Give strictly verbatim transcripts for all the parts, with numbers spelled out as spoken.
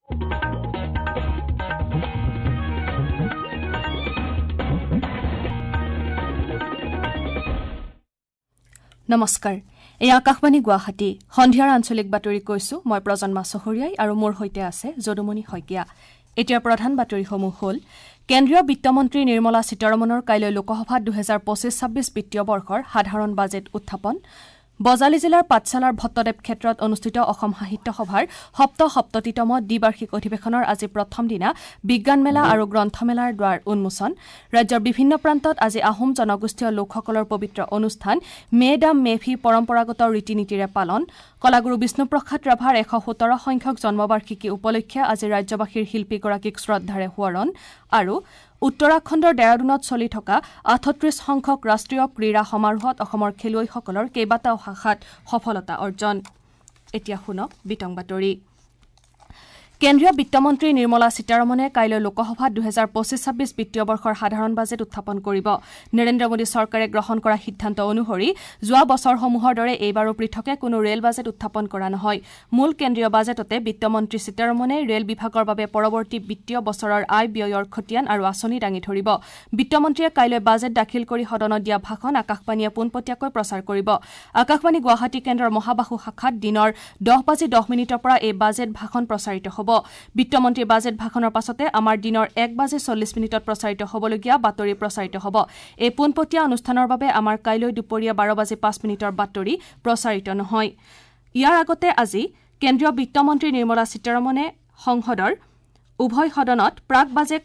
নমস্কাৰ, এই আকাশবাণী গুৱাহাটী সন্ধিয়াৰ আঞ্চলিক বাতৰি কৈছো। মই প্ৰজন্মা চহৰীয়াই আৰু মোৰ সৈতে আছে যদুমণি শইকীয়া। এতিয়া প্ৰধান বাতৰিসমূহ হ'ল: কেন্দ্ৰীয় বিত্তমন্ত্ৰী নিৰ্মলা সীতাৰমণৰ কাইলৈ লোকসভাত দুহেজাৰ পঁচিছ ছাব্বিছ বিত্তীয় বৰ্ষৰ সাধাৰণ বাজেট উত্থাপন। বজালী জিলাৰ পাঠশালাৰ ভট্টদেৱ ক্ষেত্ৰত অনুষ্ঠিত অসম সাহিত্য সভাৰ সপ্তসপ্ততিতম দ্বিবাৰ্ষিক অধিৱেশনৰ আজি প্ৰথম দিনা বিজ্ঞান মেলা আৰু গ্ৰন্থমেলাৰ দ্বাৰ উন্মোচন। ৰাজ্যৰ বিভিন্ন প্ৰান্তত আজি আহোম জনগোষ্ঠীয় লোকসকলৰ পবিত্ৰ অনুষ্ঠান মে ডাম মেফি পৰম্পৰাগত ৰীতি নীতিৰে পালন। কলাগুৰু বিষ্ণুপ্ৰসাদ ৰাভাৰ এশ সোতৰ সংখ্যক জন্মবাৰ্ষিকী উপলক্ষে আজি ৰাজ্যবাসীৰ শিল্পীগৰাকীক শ্ৰদ্ধাৰে সোঁৱৰণ। আৰু উত্তৰাখণ্ডৰ ডেৰাডুনত চলি থকা আঠত্ৰিশ সংখ্যক ৰাষ্ট্ৰীয় ক্ৰীড়া সমাৰোহত অসমৰ খেলুৱৈসকলৰ কেইবাটাও শাখাত সফলতা অৰ্জন। এতিয়া শুনক বিতং বাতৰি। কেন্দ্ৰীয় বিত্তমন্ত্ৰী নিৰ্মলা সীতাৰমণে কাইলৈ লোকসভাত দুহেজাৰ পঁচিছ ছাব্বিছ বিত্তীয় বৰ্ষৰ সাধাৰণ বাজেট উত্থাপন কৰিব। নৰেন্দ্ৰ মোদী চৰকাৰে গ্ৰহণ কৰা সিদ্ধান্ত অনুসৰি যোৱা বছৰসমূহৰ দৰে এইবাৰো পৃথকে কোনো ৰেল বাজেট উত্থাপন কৰা নহয়। মূল কেন্দ্ৰীয় বাজেটতে বিত্তমন্ত্ৰী সীতাৰমণে ৰেল বিভাগৰ বাবে পৰৱৰ্তী বিত্তীয় বছৰৰ আয় ব্যয়ৰ খতিয়ান আৰু আঁচনি দাঙি ধৰিব। বিত্তমন্ত্ৰীয়ে কাইলৈ বাজেট দাখিল কৰি সদনত দিয়া ভাষণ আকাশবাণীয়ে পোনপটীয়াকৈ প্ৰচাৰ কৰিব। আকাশবাণী গুৱাহাটী কেন্দ্ৰৰ মহাবাহু শাখাত দিনৰ দহ বাজি দহ মিনিটৰ পৰা এই বাজেট ভাষণ প্ৰচাৰিত হ'ব। বিত্তমন্ত্ৰীৰ বাজেট ভাষণৰ পাছতে আমাৰ দিনৰ এক বাজি চল্লিছ মিনিটত প্ৰচাৰিত হ'বলগীয়া বাতৰি প্ৰচাৰিত হ'ব। এই পোনপটীয়া অনুষ্ঠানৰ বাবে আমাৰ কাইলৈ দুপৰীয়া বাৰ বাজি পাঁচ মিনিটৰ বাতৰি প্ৰচাৰিত নহয়। ইয়াৰ আগতে আজি কেন্দ্ৰীয় বিত্তমন্ত্ৰী নিৰ্মলা সীতাৰমণে সংসদৰ উভয় সদনত প্ৰাক বাজেট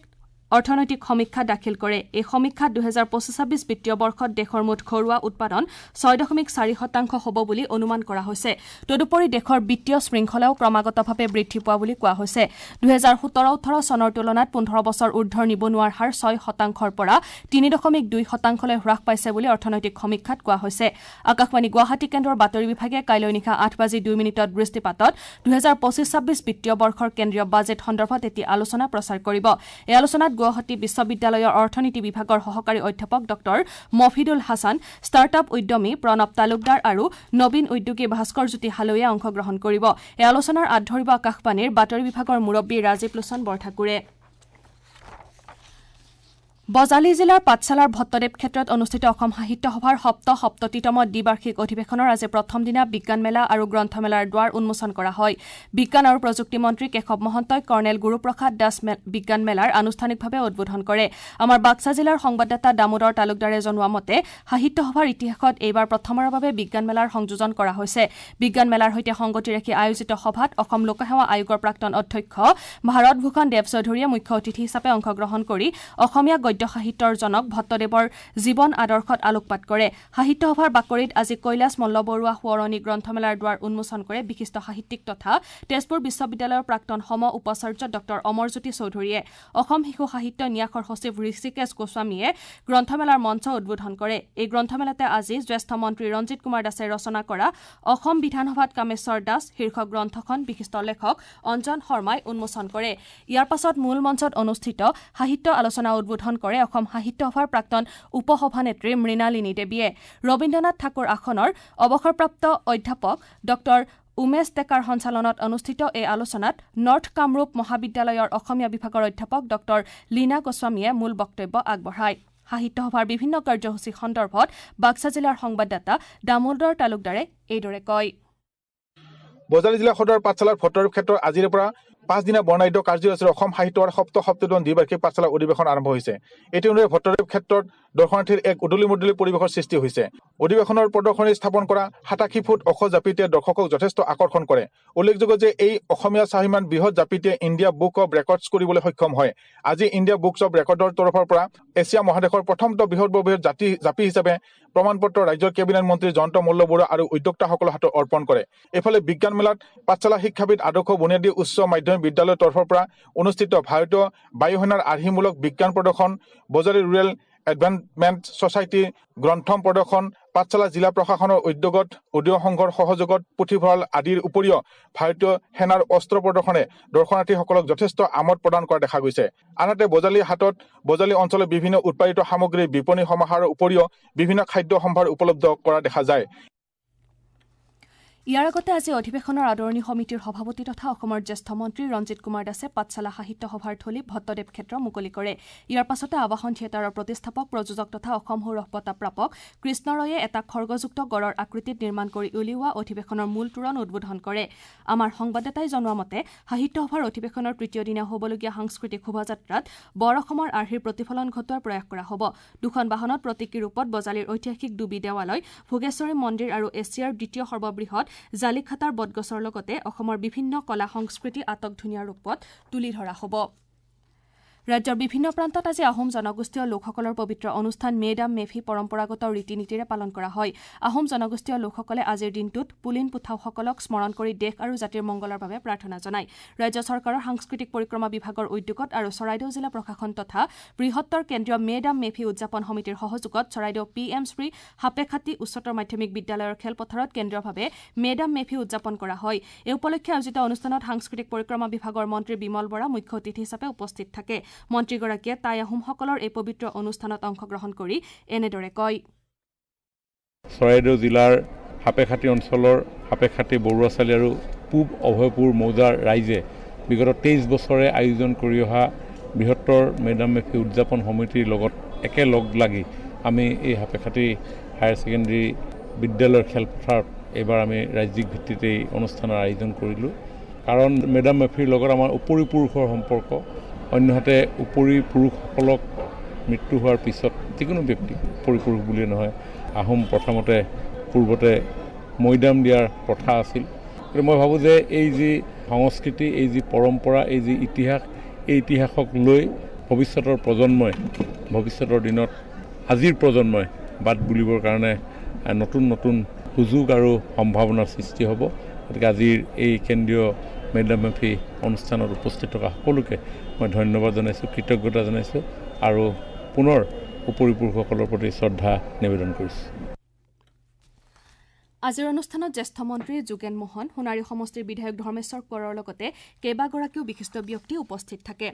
অৰ্থনৈতিক সমীক্ষা দাখিল কৰে। এই সমীক্ষাত দুহেজাৰ পঁচিছ ছাব্বিছ বিত্তীয় বৰ্ষত দেশৰ মুঠ ঘৰুৱা উৎপাদন ছয় দশমিক চাৰি শতাংশ হ'ব বুলি অনুমান কৰা হৈছে। তদুপৰি দেশৰ বিত্তীয় শৃংখলাও ক্ৰমাগতভাৱে বৃদ্ধি পোৱা বুলি কোৱা হৈছে। দুহেজাৰ সোতৰ ওঠৰ চনৰ তুলনাত পোন্ধৰ বছৰ ঊৰ্ধৰ নিবনুৱাৰ হাৰ ছয় শতাংশৰ পৰা তিনি দশমিক দুই শতাংশলৈ হ্ৰাস পাইছে বুলি অৰ্থনৈতিক সমীক্ষাত কোৱা হৈছে। আকাশবাণী গুৱাহাটী কেন্দ্ৰৰ বাতৰি বিভাগে কাইলৈ নিশা আঠ বাজি দুই মিনিটত বৃষ্টিপাতত দুহেজাৰ পঁচিছ ছাব্বিছ বিত্তীয় বৰ্ষৰ কেন্দ্ৰীয় বাজেট সন্দৰ্ভত এটি আলোচনা প্ৰচাৰ কৰিব। এই আলোচনাত গুৱাহাটী বিশ্ববিদ্যালয়ৰ অৰ্থনীতি বিভাগৰ সহকাৰী অধ্যাপক ডক্টৰ মফিদুল হাছান, ষ্টাৰ্টআপ উদ্যমী প্ৰণৱ তালুকদাৰ আৰু নবীন উদ্যোগী ভাস্কৰজ্যোতি হালৈয়ে অংশগ্ৰহণ কৰিব। এই আলোচনাৰ আঁত ধৰিব আকাশবাণীৰ বাতৰি বিভাগৰ মুৰব্বী ৰাজীৱ লোচন বৰঠাকুৰে। বজালী জিলাৰ পাঠশালাৰ ভট্টদেৱ ক্ষেত্ৰত অনুষ্ঠিত অসম সাহিত্য সভাৰ সপ্তসপ্ততিতম দ্বিবাৰ্ষিক অধিৱেশনৰ আজি প্ৰথম দিনা বিজ্ঞান মেলা আৰু গ্ৰন্থমেলাৰ দ্বাৰ উন্মোচন কৰা হয়। বিজ্ঞান আৰু প্ৰযুক্তি মন্ত্ৰী কেশৱ মহন্তই কৰ্ণেল গুৰুপ্ৰসাদ দাস বিজ্ঞান মেলাৰ আনুষ্ঠানিকভাৱে উদ্বোধন কৰে। আমাৰ বাক্সা জিলাৰ সংবাদদাতা দামোদৰ তালুকদাৰে জনোৱা মতে সাহিত্য সভাৰ ইতিহাসত এইবাৰ প্ৰথমবাৰৰ বাবে বিজ্ঞান মেলাৰ সংযোজন কৰা হৈছে। বিজ্ঞান মেলাৰ সৈতে সংগতি ৰাখি আয়োজিত সভাত অসম লোকসেৱা আয়োগৰ প্ৰাক্তন অধ্যক্ষ ভাৰত ভূষণ দেৱ চৌধুৰীয়ে মুখ্য অতিথি হিচাপে অংশগ্ৰহণ কৰি অসমীয়া গদ্য সাহিত্যৰ জনক ভট্টদেৱৰ জীৱন আদৰ্শত আলোকপাত কৰে। সাহিত্য সভাৰ বাকৰিত আজি কৈলাশ মল্লবৰুৱা সোঁৱৰণী গ্ৰন্থমেলাৰ দ্বাৰ উন্মোচন কৰে বিশিষ্ট সাহিত্যিক তথা তেজপুৰ বিশ্ববিদ্যালয়ৰ প্ৰাক্তন সম উপাচাৰ্য ডক্টৰ অমৰজ্যোতি চৌধুৰীয়ে। অসম শিশু সাহিত্য ন্যাসৰ সচিব ঋষিকেশ গোস্বামীয়ে গ্ৰন্থমেলাৰ মঞ্চ উদ্বোধন কৰে। এই গ্ৰন্থমেলাতে আজি জ্যেষ্ঠ মন্ত্ৰী ৰঞ্জিত কুমাৰ দাসে ৰচনা কৰা অসম বিধানসভাত কামেশ্বৰ দাস শীৰ্ষক গ্ৰন্থখন বিশিষ্ট লেখক অঞ্জন শৰ্মাই উন্মোচন কৰে। ইয়াৰ পাছত মূল মঞ্চত অনুষ্ঠিত সাহিত্য আলোচনা উদ্বোধন কৰে অসম সাহিত্য সভাৰ প্ৰাক্তন উপসভানেত্ৰী মৃণালিনী দেৱীয়ে। ৰবীন্দ্ৰনাথ ঠাকুৰ আসনৰ অৱসৰপ্ৰাপ্ত অধ্যাপক ডক্টৰ উমেশ ডেকাৰ সঞ্চালনত অনুষ্ঠিত এই আলোচনাত নৰ্থ কামৰূপ মহাবিদ্যালয়ৰ অসমীয়া বিভাগৰ অধ্যাপক ডক্টৰ লীনা গোস্বামীয়ে মূল বক্তব্য আগবঢ়ায়। সাহিত্য সভাৰ বিভিন্ন কাৰ্যসূচী সন্দৰ্ভত বাক্সা জিলাৰ সংবাদদাতা দামোদৰ তালুকদাৰে এইদৰে কয়। বজালী জিলা সদৰ পাঠশালাৰ ভট্টদেৱ ক্ষেত্ৰত আজিৰে পৰা পাঁচদিনীয়া বৰ্ণাঢ্য কাৰ্যসূচীৰে অসম সাহিত্য সভাৰ সপ্তসপ্ততিতম দ্বিবাৰ্ষিক পাঠশালা অধিৱেশন আৰম্ভ হৈছে। ইতিমধ্যে ভট্টদেৱ ক্ষেত্ৰত দৰ্শনাৰ্থীৰ এক উদুলি মুদুলি পৰিৱেশৰ সৃষ্টি হৈছে। অধিৱেশনৰ প্ৰদৰ্শনী স্থাপন কৰা সাতাশী ফুট ওখ জাপিটোৱে দৰ্শকক যথেষ্ট আকৰ্ষণ কৰে। উল্লেখযোগ্য যে এই অসমীয়া স্বাভিমান বৃহৎ জাপিটোৱে ইণ্ডিয়া বুক অৱ ৰেকৰ্ডছ কৰিবলৈ সক্ষম হয়। আজি ইণ্ডিয়া বুকছ অৱ ৰেকৰ্ডৰ তৰফৰ পৰা এছিয়া মহাদেশৰ প্ৰথমটো বৃহৎ বৃহৎ জাতি জাপি হিচাপে প্ৰমাণপত্ৰ ৰাজ্যৰ কেবিনেট মন্ত্ৰী জয়ন্ত মল্ল বৰুৱা আৰু উদ্যোক্তাসকলৰ হাতত অৰ্পণ কৰে। এইফালে বিজ্ঞান মেলাত পাঠশালা শিক্ষাবিদ আদৰ্শ বুনিয়াদী উচ্চ মাধ্যমিক বিদ্যালয়ৰ তৰফৰ পৰা অনুষ্ঠিত ভাৰতীয় বায়ুসেনাৰ আৰ্হিমূলক বিজ্ঞান প্ৰদৰ্শন, বজালী ৰুৰেল এডভান্সমেণ্ট ছ'চাইটিৰ গ্ৰন্থম প্ৰদৰ্শন, পাঠশালা জিলা প্ৰশাসনৰ উদ্যোগত উদয় সংঘৰ সহযোগত পুথিভঁৰাল আদিৰ উপৰিও ভাৰতীয় সেনাৰ অস্ত্ৰ প্ৰদৰ্শনে দৰ্শনাৰ্থীসকলক যথেষ্ট আমোদ প্ৰদান কৰা দেখা গৈছে। আনহাতে বজালী হাটত বজালী অঞ্চলৰ বিভিন্ন উৎপাদিত সামগ্ৰীৰ বিপণী সমাহাৰৰ উপৰিও বিভিন্ন খাদ্য সম্ভাৰ উপলব্ধ কৰা দেখা যায়। ইয়াৰ আগতে আজি অধিৱেশনৰ আদৰণি সমিতিৰ সভাপতি তথা অসমৰ জ্যেষ্ঠ মন্ত্ৰী ৰঞ্জিত কুমাৰ দাসে পাঠশালা সাহিত্য সভাৰ থলী ভট্টদেৱ ক্ষেত্ৰ মুকলি কৰে। ইয়াৰ পাছতে আৱাহন থিয়েটাৰৰ প্ৰতিষ্ঠাপক, প্ৰযোজক তথা অসম সৌৰভ বঁটা প্ৰাপক কৃষ্ণ ৰয়ে এটা খৰ্গযুক্ত গড়ৰ আকৃতিত নিৰ্মাণ কৰি উলিওৱা অধিৱেশনৰ মূল তোৰণ উদ্বোধন কৰে। আমাৰ সংবাদদাতাই জনোৱা মতে সাহিত্য সভাৰ অধিৱেশনৰ তৃতীয় দিনা হ'বলগীয়া সাংস্কৃতিক শোভাযাত্ৰাত বৰ অসমৰ আৰ্হিৰ প্ৰতিফলন ঘটোৱাৰ প্ৰয়াস কৰা হ'ব। দুখন বাহনত প্ৰতীকী ৰূপত বজালীৰ ঐতিহাসিক ডুবি দেৱালয়, ভোগেশ্বৰী মন্দিৰ আৰু এছিয়াৰ দ্বিতীয় সৰ্ববৃহৎ জালিখাতাৰ বটগছৰ লগতে অসমৰ বিভিন্ন কলা সংস্কৃতি আটক ধুনীয়া ৰূপত তুলি ধৰা হ'ব। ৰাজ্যৰ বিভিন্ন প্ৰান্তত আজি আহোম জনগোষ্ঠীয় লোকসকলৰ পবিত্ৰ অনুষ্ঠান মে-ডাম মেফি পৰম্পৰাগত ৰীতি নীতিৰে পালন কৰা হয়। আহোম জনগোষ্ঠীয় লোকসকলে আজিৰ দিনটোত পুলিন পুথাওসকলক স্মৰণ কৰি দেশ আৰু জাতিৰ মংগলৰ বাবে প্ৰাৰ্থনা জনায়। ৰাজ্য চৰকাৰৰ সাংস্কৃতিক পৰিক্ৰমা বিভাগৰ উদ্যোগত আৰু চৰাইদেউ জিলা প্ৰশাসন তথা বৃহত্তৰ কেন্দ্ৰীয় মে-ডাম মেফি উদযাপন সমিতিৰ সহযোগত চৰাইদেউ পি এম শ্ৰী সাপেখাতী উচ্চতৰ মাধ্যমিক বিদ্যালয়ৰ খেলপথাৰত কেন্দ্ৰীয়ভাৱে মে-ডাম মেফি উদযাপন কৰা হয়। এই উপলক্ষে আয়োজিত অনুষ্ঠানত সাংস্কৃতিক পৰিক্ৰমা বিভাগৰ মন্ত্ৰী বিমল বৰা মুখ্য অতিথি হিচাপে উপস্থিত থাকে। মন্ত্ৰীগৰাকীয়ে টাই আহোমসকলৰ এই পবিত্ৰ অনুষ্ঠানত অংশগ্ৰহণ কৰি এনেদৰে কয়। চৰাইদেউ জিলাৰ সাপেখাতী অঞ্চলৰ সাপেখাতী বৰুৱাচালি আৰু পূব অভয়পুৰ মৌজাৰ ৰাইজে বিগত তেইছ বছৰে আয়োজন কৰি অহা বৃহত্তৰ মে-ডাম মেফি উদযাপন সমিতিৰ লগত একেলগ লাগি আমি এই সাপেখাতী হায়াৰ ছেকেণ্ডেৰী বিদ্যালয়ৰ খেলপথাৰত এইবাৰ আমি ৰাজ্যিক ভিত্তিত এই অনুষ্ঠানৰ আয়োজন কৰিলোঁ। কাৰণ মে-ডাম মেফিৰ লগত আমাৰ উপৰি পুৰুষৰ সম্পৰ্ক। অন্যহাতে উপৰি পুৰুষসকলক মৃত্যু হোৱাৰ পিছত যিকোনো ব্যক্তি, উপৰি পুৰুষ বুলিয়ে নহয়, আহোম প্ৰথমতে পূৰ্বতে মৈদাম দিয়াৰ প্ৰথা আছিল। গতিকে মই ভাবোঁ যে এই যি সংস্কৃতি, এই যি পৰম্পৰা, এই যি ইতিহাস, এই ইতিহাসক লৈ ভৱিষ্যতৰ প্ৰজন্মই, ভৱিষ্যতৰ দিনত আজিৰ প্ৰজন্মই বাট বুলিবৰ কাৰণে নতুন নতুন সুযোগ আৰু সম্ভাৱনাৰ সৃষ্টি হ'ব। গতিকে আজিৰ এই কেন্দ্ৰীয় মে-ডাম মেফি অনুষ্ঠানত উপস্থিত থকা সকলোকে মই ধন্যবাদ জনাইছোঁ, কৃতজ্ঞতা জনাইছোঁ আৰু পুনৰ উপৰি পুৰুষসকলৰ প্ৰতি শ্ৰদ্ধা নিবেদন কৰিছোঁ। আজিৰ অনুষ্ঠানত জ্যেষ্ঠ মন্ত্ৰী যোগেন মোহন, সোণাৰী সমষ্টিৰ বিধায়ক ধৰ্মেশ্বৰ কোঁৱৰৰ লগতে কেইবাগৰাকীও বিশিষ্ট ব্যক্তি উপস্থিত থাকে।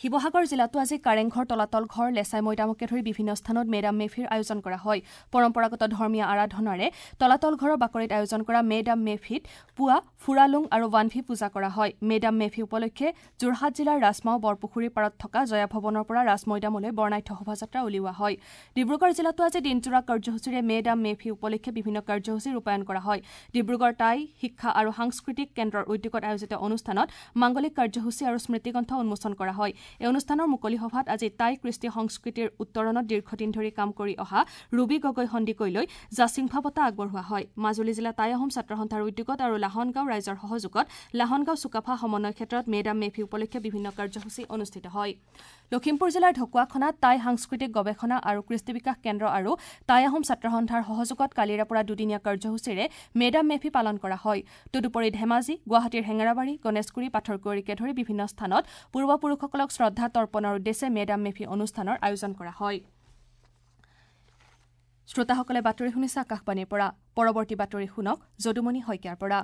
শিৱসাগৰ জিলাতো আজি কাৰেংঘৰ, তলাতল ঘৰ, লেচাই মৈদামকে ধৰি বিভিন্ন স্থানত মে-ডাম মেফিৰ আয়োজন কৰা হয়। পৰম্পৰাগত ধৰ্মীয় আৰাধনাৰে তলাতল ঘৰৰ বাকৰিত আয়োজন কৰা মে-ডাম মেফিত পুৱা ফুৰালুং আৰু ৱানভি পূজা কৰা হয়। মে-ডাম মেফি উপলক্ষে যোৰহাট জিলাৰ ৰাজমাও বৰপুখুৰীৰ পাৰত থকা জয়া ভৱনৰ পৰা ৰাজমৈদামলৈ বৰ্ণাঢ্য শোভাযাত্ৰা উলিওৱা হয়। ডিব্ৰুগড় জিলাতো আজি দিনজোৰা কাৰ্যসূচীৰে মে-ডাম মেফি উপলক্ষে বিভিন্ন কাৰ্যসূচী ৰূপায়ণ কৰা হয়। ডিব্ৰুগড় টাই শিক্ষা আৰু সাংস্কৃতিক কেন্দ্ৰৰ উদ্যোগত আয়োজিত অনুষ্ঠানত মাংগলিক কাৰ্যসূচী আৰু স্মৃতিগ্ৰন্থ উন্মোচন কৰা হয়। এই অনুষ্ঠানৰ মুকলি সভাত আজি টাই কৃষ্টি সংস্কৃতিৰ উত্তৰণত দীৰ্ঘদিন ধৰি কাম কৰি অহা ৰুবি গগৈ সন্দিকৈলৈ জাচিংফা বঁটা আগবঢ়োৱা হয়। মাজুলী জিলা টাই আহোম ছাত্ৰ সন্থাৰ উদ্যোগত আৰু লাহনগাঁও ৰাইজৰ সহযোগত লাহনগাঁও চুকাফা সমন্বয় ক্ষেত্ৰত মে-ডাম মেফি উপলক্ষে বিভিন্ন কাৰ্যসূচী অনুষ্ঠিত হয়। লখিমপুৰ জিলাৰ ঢকুৱাখনাত টাই সাংস্কৃতিক গৱেষণা আৰু কৃষ্টি বিকাশ কেন্দ্ৰ আৰু টাই আহোম ছাত্ৰ সন্থাৰ সহযোগত কালিৰে পৰা দুদিনীয়া কাৰ্যসূচীৰে মে-ডাম মেফি পালন কৰা হয়। তদুপৰি ধেমাজি, গুৱাহাটীৰ হেঙেৰাবাৰী, গণেশগুৰি, পাথৰকুঁৱৰীকে ধৰি বিভিন্ন স্থানত পূৰ্বপুৰুষসকলক শ্ৰদ্ধা তৰ্পণৰ উদ্দেশ্যে মে-ডাম মেফি অনুষ্ঠানৰ আয়োজন কৰা হয়। শ্ৰোতাসকলে বাতৰি শুনিছে আকাশবাণীৰ পৰা। পৰৱৰ্তী বাতৰি শুনক যদুমণি শইকীয়াৰ পৰা।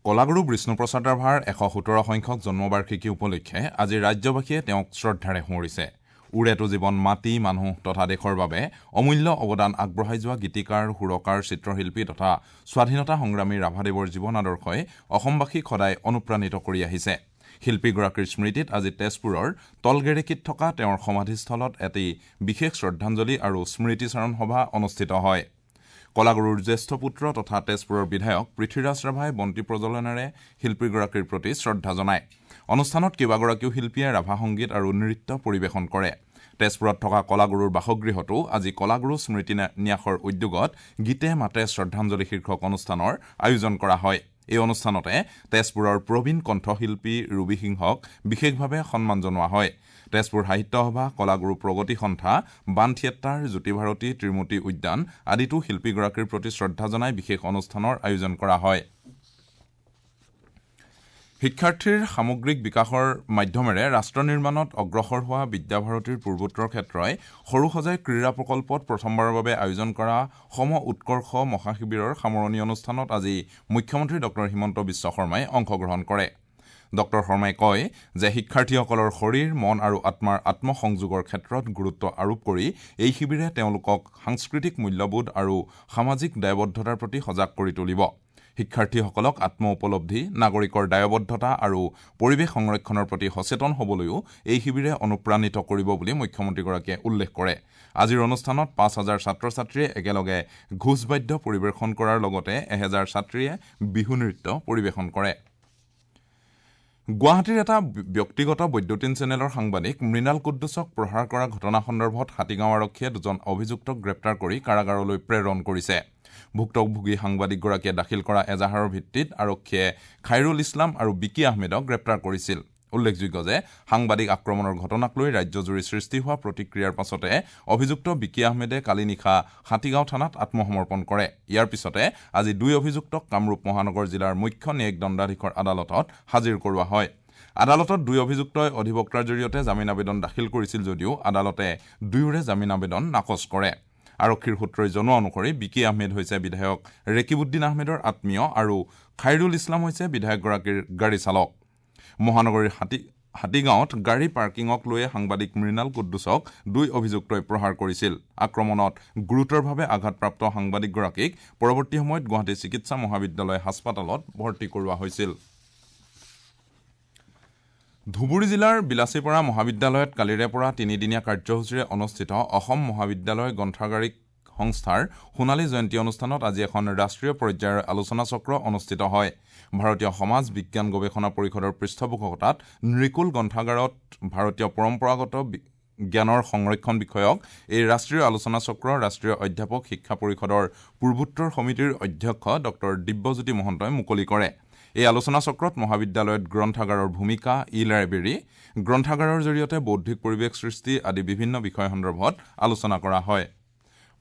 কলাগুৰু বিষ্ণুপ্ৰসাদ ৰাভাৰ এশ সোতৰ সংখ্যক জন্মবাৰ্ষিকী উপলক্ষে আজি ৰাজ্যবাসীয়ে তেওঁক শ্ৰদ্ধাৰে সোঁৱৰিছে। উৰেটো জীৱন মাটি, মানুহ তথা দেশৰ বাবে অমূল্য অৱদান আগবঢ়াই যোৱা গীতিকাৰ, সুৰকাৰ, চিত্ৰশিল্পী তথা স্বাধীনতা সংগ্ৰামী ৰাভাদেৱৰ জীৱন আদৰ্শই অসমবাসীক সদায় অনুপ্ৰাণিত কৰি আহিছে। শিল্পীগৰাকীৰ স্মৃতিত আজি তেজপুৰৰ তলগেৰেকীত থকা তেওঁৰ সমাধিস্থলত এটি বিশেষ শ্ৰদ্ধাঞ্জলি আৰু স্মৃতিচাৰণ সভা অনুষ্ঠিত হয়। কলাগুৰুৰ জ্যেষ্ঠ পুত্ৰ তথা তেজপুৰৰ বিধায়ক পৃথ্বীৰাজ ৰাভাই বন্তি প্ৰজ্বলনেৰে শিল্পীগৰাকীৰ প্ৰতি শ্ৰদ্ধা জনায়। অনুষ্ঠানত কেইবাগৰাকীও শিল্পীয়ে ৰাভা সংগীত আৰু নৃত্য পৰিৱেশন কৰে। তেজপুৰত থকা কলাগুৰুৰ বাসগৃহতো আজি কলাগুৰু স্মৃতি ন্যাসৰ উদ্যোগত গীতে মাতে শ্ৰদ্ধাঞ্জলি শীৰ্ষক অনুষ্ঠানৰ আয়োজন কৰা হয়। এই অনুষ্ঠানতে তেজপুৰৰ প্ৰবীণ কণ্ঠশিল্পী ৰুবি সিংহক বিশেষভাৱে সন্মান জনোৱা হয়। তেজপুৰ সাহিত্য সভা, কলাগুৰু প্ৰগতি সন্থা, বান থিয়েটাৰ, জ্যোতিভাৰতী, ত্ৰিমূৰ্তি উদ্যান আদিতো শিল্পীগৰাকীৰ প্ৰতি শ্ৰদ্ধা জনাই বিশেষ অনুষ্ঠানৰ আয়োজন কৰা হয়। শিক্ষাৰ্থীৰ সামগ্ৰিক বিকাশৰ মাধ্যমেৰে ৰাষ্ট্ৰ নিৰ্মাণত অগ্ৰসৰ হোৱা বিদ্যাভাৰতীৰ পূৰ্বোত্তৰ ক্ষেত্ৰই সৰুসজাই ক্ৰীড়া প্ৰকল্পত প্ৰথমবাৰৰ বাবে আয়োজন কৰা সম উৎকৰ্ষ মহাশিবিৰৰ সামৰণি অনুষ্ঠানত আজি মুখ্যমন্ত্ৰী ডক্টৰ হিমন্ত বিশ্ব শৰ্মাই অংশগ্ৰহণ কৰে। ডক্টৰ শৰ্মাই কয় যে শিক্ষাৰ্থীসকলৰ শৰীৰ, মন আৰু আত্মাৰ আত্মসংযোগৰ ক্ষেত্ৰত গুৰুত্ব আৰোপ কৰি এই শিবিৰে তেওঁলোকক সাংস্কৃতিক মূল্যবোধ আৰু সামাজিক দায়বদ্ধতাৰ প্ৰতি সজাগ কৰি তুলিব। শিক্ষাৰ্থীসকলক আত্ম উপলব্ধি, নাগৰিকৰ দায়বদ্ধতা আৰু পৰিৱেশ সংৰক্ষণৰ প্ৰতি সচেতন হ'বলৈও এই শিবিৰে অনুপ্ৰাণিত কৰিব বুলি মুখ্যমন্ত্ৰীগৰাকীয়ে উল্লেখ কৰে। আজিৰ অনুষ্ঠানত পাঁচ হাজাৰ ছাত্ৰ ছাত্ৰীয়ে একেলগে ঘোষবাদ্য পৰিৱেশন কৰাৰ লগতে এহেজাৰ ছাত্ৰীয়ে বিহু নৃত্য পৰিৱেশন কৰে। গুৱাহাটীৰ এটা ব্যক্তিগত বৈদ্যুতিন চেনেলৰ সাংবাদিক মৃণাল কুদ্দুছক প্ৰহাৰ কৰা ঘটনা সন্দৰ্ভত হাতীগাঁও আৰক্ষীয়ে দুজন অভিযুক্তক গ্ৰেপ্তাৰ কৰি কাৰাগাৰলৈ প্ৰেৰণ কৰিছে। ভুক্তভোগী সাংবাদিকগৰাকীয়ে দাখিল কৰা এজাহাৰৰ ভিত্তিত আৰক্ষীয়ে খাইৰুল ইছলাম আৰু বিকি আহমেদক গ্ৰেপ্তাৰ কৰিছিল। উল্লেখযোগ্য যে সাংবাদিক আক্ৰমণৰ ঘটনাক লৈ ৰাজ্যজুৰি সৃষ্টি হোৱা প্ৰতিক্ৰিয়াৰ পাছতে অভিযুক্ত বিকি আহমেদে কালি নিশা হাতীগাঁও থানাত আত্মসমৰ্পণ কৰে। ইয়াৰ পিছতে আজি দুই অভিযুক্তক কামৰূপ মহানগৰ জিলাৰ মুখ্য ন্যায়িক দণ্ডাধীশৰ আদালতত হাজিৰ কৰোৱা হয়। আদালতত দুই অভিযুক্তই অধিবক্তাৰ জৰিয়তে জামিন আবেদন দাখিল কৰিছিল যদিও আদালতে দুয়োৰে জামিন আবেদন নাকচ কৰে। আৰক্ষীৰ সূত্ৰই জনোৱা অনুসৰি বিকি আহমেদ হৈছে বিধায়ক ৰেকিবুদ্দিন আহমেদৰ আত্মীয় আৰু খাইৰুল ইছলাম হৈছে বিধায়কগৰাকীৰ গাড়ী চালক। মহানগৰীৰ হাতী হাতীগাঁৱত গাড়ী পাৰ্কিঙক লৈয়ে সাংবাদিক মৃণাল কুদ্দুছক দুই অভিযুক্তই প্ৰহাৰ কৰিছিল। আক্ৰমণত গুৰুতৰভাৱে আঘাতপ্ৰাপ্ত সাংবাদিকগৰাকীক পৰৱৰ্তী সময়ত গুৱাহাটী চিকিৎসা মহাবিদ্যালয় হাস্পতালত ভৰ্তি কৰোৱা হৈছিল। ধুবুৰী জিলাৰ বিলাসীপাৰা মহাবিদ্যালয়ত কালিৰে পৰা তিনিদিনীয়া কাৰ্যসূচীৰে অনুষ্ঠিত অসম মহাবিদ্যালয় গ্ৰন্থাগাৰিক সংস্থাৰ সোণালী জয়ন্তী অনুষ্ঠানত আজি এখন ৰাষ্ট্ৰীয় পৰ্যায়ৰ আলোচনা চক্ৰ অনুষ্ঠিত হয়। ভাৰতীয় সমাজ বিজ্ঞান গৱেষণা পৰিষদৰ পৃষ্ঠপোষকতাত নৃকুল গ্ৰন্থাগাৰত ভাৰতীয় পৰম্পৰাগত জ্ঞানৰ সংৰক্ষণ বিষয়ক এই ৰাষ্ট্ৰীয় আলোচনা চক্ৰ ৰাষ্ট্ৰীয় অধ্যাপক শিক্ষা পৰিষদৰ পূৰ্বোত্তৰ সমিতিৰ অধ্যক্ষ ডক্টৰ দিব্যজ্যোতি মহন্তই মুকলি কৰে। এই আলোচনা চক্ৰত মহাবিদ্যালয়ত গ্ৰন্থাগাৰৰ ভূমিকা, ই লাইব্ৰেৰী, গ্ৰন্থাগাৰৰ জৰিয়তে বৌদ্ধিক পৰিৱেশ সৃষ্টি আদি বিভিন্ন বিষয় সন্দৰ্ভত আলোচনা কৰা হয়।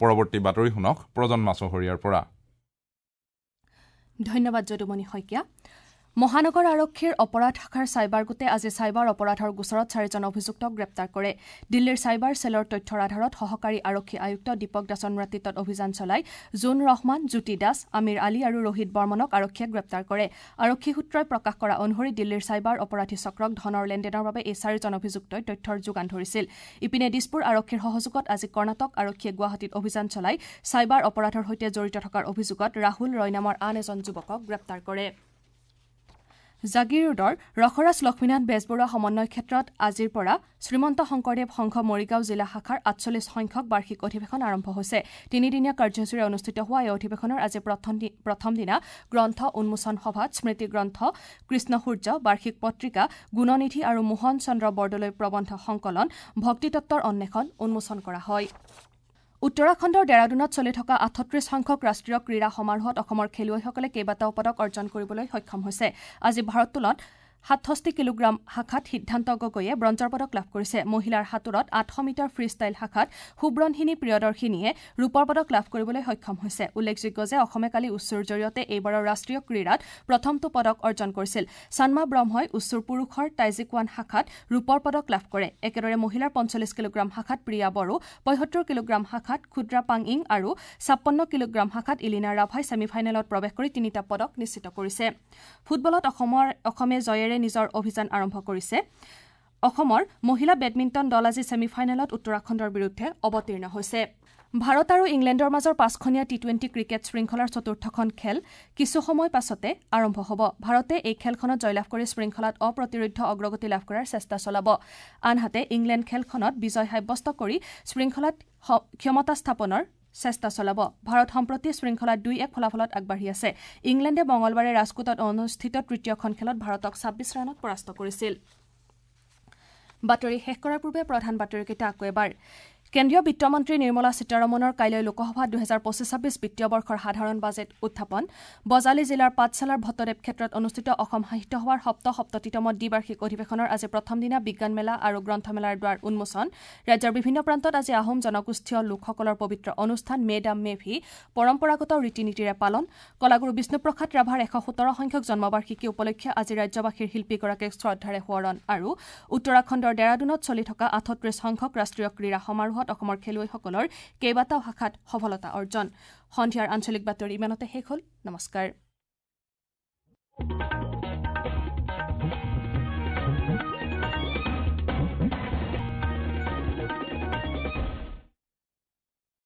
পৰৱৰ্তী বাতৰি শুনক প্ৰজন্মা চহৰীয়াৰ পৰা। ধন্যবাদ যদুমণি শইকীয়া। মহানগৰ আৰক্ষীৰ অপৰাধ শাখাৰ চাইবাৰ গোটে আজি চাইবাৰ অপৰাধৰ গোচৰত চাৰিজন অভিযুক্তক গ্ৰেপ্তাৰ কৰে। দিল্লীৰ চাইবাৰ চেলৰ তথ্যৰ আধাৰত সহকাৰী আৰক্ষী আয়ুক্ত দীপক দাসৰ নেতৃত্বত অভিযান চলাই জোন ৰহমান, জ্যোতি দাস, আমিৰ আলী আৰু ৰোহিত বৰ্মনক আৰক্ষীয়ে গ্ৰেপ্তাৰ কৰে। আৰক্ষী সূত্ৰই প্ৰকাশ কৰা অনুসৰি দিল্লীৰ চাইবাৰ অপৰাধী চক্ৰক ধনৰ লেনদেনৰ বাবে এই চাৰিজন অভিযুক্তই তথ্যৰ যোগান ধৰিছিল। ইপিনে দিছপুৰ আৰক্ষীৰ সহযোগত আজি কৰ্ণাটক আৰক্ষীয়ে গুৱাহাটীত অভিযান চলাই চাইবাৰ অপৰাধৰ সৈতে জড়িত থকাৰ অভিযোগত ৰাহুল ৰয় নামৰ আন এজন যুৱকক গ্ৰেপ্তাৰ কৰে। জাগিৰোডৰ ৰসৰাজ লক্ষ্মীনাথ বেজবৰুৱা সমন্বয় ক্ষেত্ৰত আজিৰ পৰা শ্ৰীমন্ত শংকৰদেৱ সংঘ মৰিগাঁও জিলা শাখাৰ আঠচল্লিছ সংখ্যক বাৰ্ষিক অধিৱেশন আৰম্ভ হৈছে। তিনিদিনীয়া কাৰ্যসূচীৰে অনুষ্ঠিত হোৱা এই অধিৱেশনৰ আজি প্ৰথম দিনা গ্ৰন্থ উন্মোচন সভাত স্মৃতিগ্ৰন্থ কৃষ্ণসূৰ্য, বাৰ্ষিক পত্ৰিকা গুণনিধি আৰু মোহন চন্দ্ৰ বৰদলৈ প্ৰবন্ধ সংকলন ভক্তিতত্বৰ অন্বেষণ উন্মোচন কৰা হয়। উত্তৰাখণ্ডৰ ডেৰাডুনত চলি থকা আঠত্ৰিশ সংখ্যক ৰাষ্ট্ৰীয় ক্ৰীড়া সমাৰোহত অসমৰ খেলুৱৈসকলে কেইবাটাও পদক অৰ্জন কৰিবলৈ সক্ষম হৈছে। আজি ভাৰোত্তোলনত সাতষষ্ঠি কিলোগ্ৰাম শাখাত সিদ্ধান্ত গগৈয়ে ব্ৰঞ্জৰ পদক লাভ কৰিছে। মহিলাৰ সাঁতোৰত আঠশ মিটাৰ ফ্ৰী ষ্টাইল শাখাত সুব্ৰনহিনী প্ৰিয়দৰ্শিনীয়ে ৰূপৰ পদক লাভ কৰিবলৈ সক্ষম হৈছে। উল্লেখযোগ্য যে অসমে কালি উচ্চুৰ জৰিয়তে এইবাৰৰ ৰাষ্ট্ৰীয় ক্ৰীড়াত প্ৰথমটো পদক অৰ্জন কৰিছিল। চানমা ব্ৰহ্মই উচ্চুৰ পুৰুষৰ টাইজিকোৱান শাখাত ৰূপৰ পদক লাভ কৰে। একেদৰে মহিলাৰ পঞ্চল্লিছ কিলোগ্ৰাম শাখাত প্ৰিয়া বড়ো, পঁয়সত্তৰ কিলোগ্ৰাম শাখাত ক্ষুদ্ৰা পাংইং আৰু ছাপন্ন কিলোগ্ৰাম শাখাত ইলিনা ৰাভাই ছেমিফাইনেলত প্ৰৱেশ কৰি তিনিটা পদক নিশ্চিত কৰিছে। ফুটবলত অসমৰ অসমে জয়েৰে নিজৰ অভিযান আৰম্ভ কৰিছে। অসমৰ মহিলা বেডমিণ্টন দল আজি ছেমিফাইনেলত উত্তৰাখণ্ডৰ বিৰুদ্ধে অৱতীৰ্ণ হৈছে। ভাৰত আৰু ইংলেণ্ডৰ মাজৰ পাঁচখনীয়া টি টুৱেণ্টি ক্ৰিকেট শৃংখলাৰ চতুৰ্থখন খেল কিছু সময় পাছতে আৰম্ভ হ'ব। ভাৰতে এই খেলখনত জয়লাভ কৰি শৃংখলাত অপ্ৰতিৰোধ্য অগ্ৰগতি লাভ কৰাৰ চেষ্টা চলাব। আনহাতে ইংলেণ্ড খেলখনত বিজয় সাব্যস্ত কৰি শৃংখলাত ক্ষমতা স্থাপনৰ চেষ্টা চলাব। ভাৰত সম্প্ৰতি শৃংখলাত দুই এক ফলাফলত আগবাঢ়ি আছে। ইংলেণ্ডে মঙলবাৰে ৰাজকোটত অনুষ্ঠিত তৃতীয়খন খেলত ভাৰতক ছাব্বিছ ৰানত পৰাস্ত কৰিছিল। বাতৰি শেষ কৰাৰ পূৰ্বে প্ৰধান বাতৰিকেইটা আকৌ এবাৰ। কেন্দ্ৰীয় বিত্তমন্ত্ৰী নিৰ্মলা সীতাৰমণৰ কাইলৈ লোকসভাত দুহেজাৰ পঁচিছ ছাব্বিছ বিত্তীয় বৰ্ষৰ সাধাৰণ বাজেট উত্থাপন। বজালী জিলাৰ পাঠশালাৰ ভট্টদেৱ ক্ষেত্ৰত অনুষ্ঠিত অসম সাহিত্য সভাৰ সপ্তসপ্ততিতম দ্বিবাৰ্ষিক অধিৱেশনৰ আজি প্ৰথম দিনা বিজ্ঞান মেলা আৰু গ্ৰন্থমেলাৰ দ্বাৰ উন্মোচন। ৰাজ্যৰ বিভিন্ন প্ৰান্তত আজি আহোম জনগোষ্ঠীয় লোকসকলৰ পবিত্ৰ অনুষ্ঠান মে ডাম মে ফি পৰম্পৰাগত ৰীতি নীতিৰে পালন। কলাগুৰু বিষ্ণুপ্ৰসাদ ৰাভাৰ এশ সোতৰ সংখ্যক জন্মবাৰ্ষিকী উপলক্ষে আজি ৰাজ্যবাসীৰ শিল্পীগৰাকীক শ্ৰদ্ধাৰে সোঁৱৰণ। আৰু উত্তৰাখণ্ডৰ ডেৰাডুনত চলি থকা আঠত্ৰিশ সংখ্যক ৰাষ্ট্ৰীয় ক্ৰীড়া সমাৰোহত অসমৰ খেলুৱৈসকলৰ কেইবাটাও শাখাত সফলতা অৰ্জন। সন্ধিয়াৰ আঞ্চলিক বাতৰি ইমানতে শেষ হ'ল। নমস্কাৰ।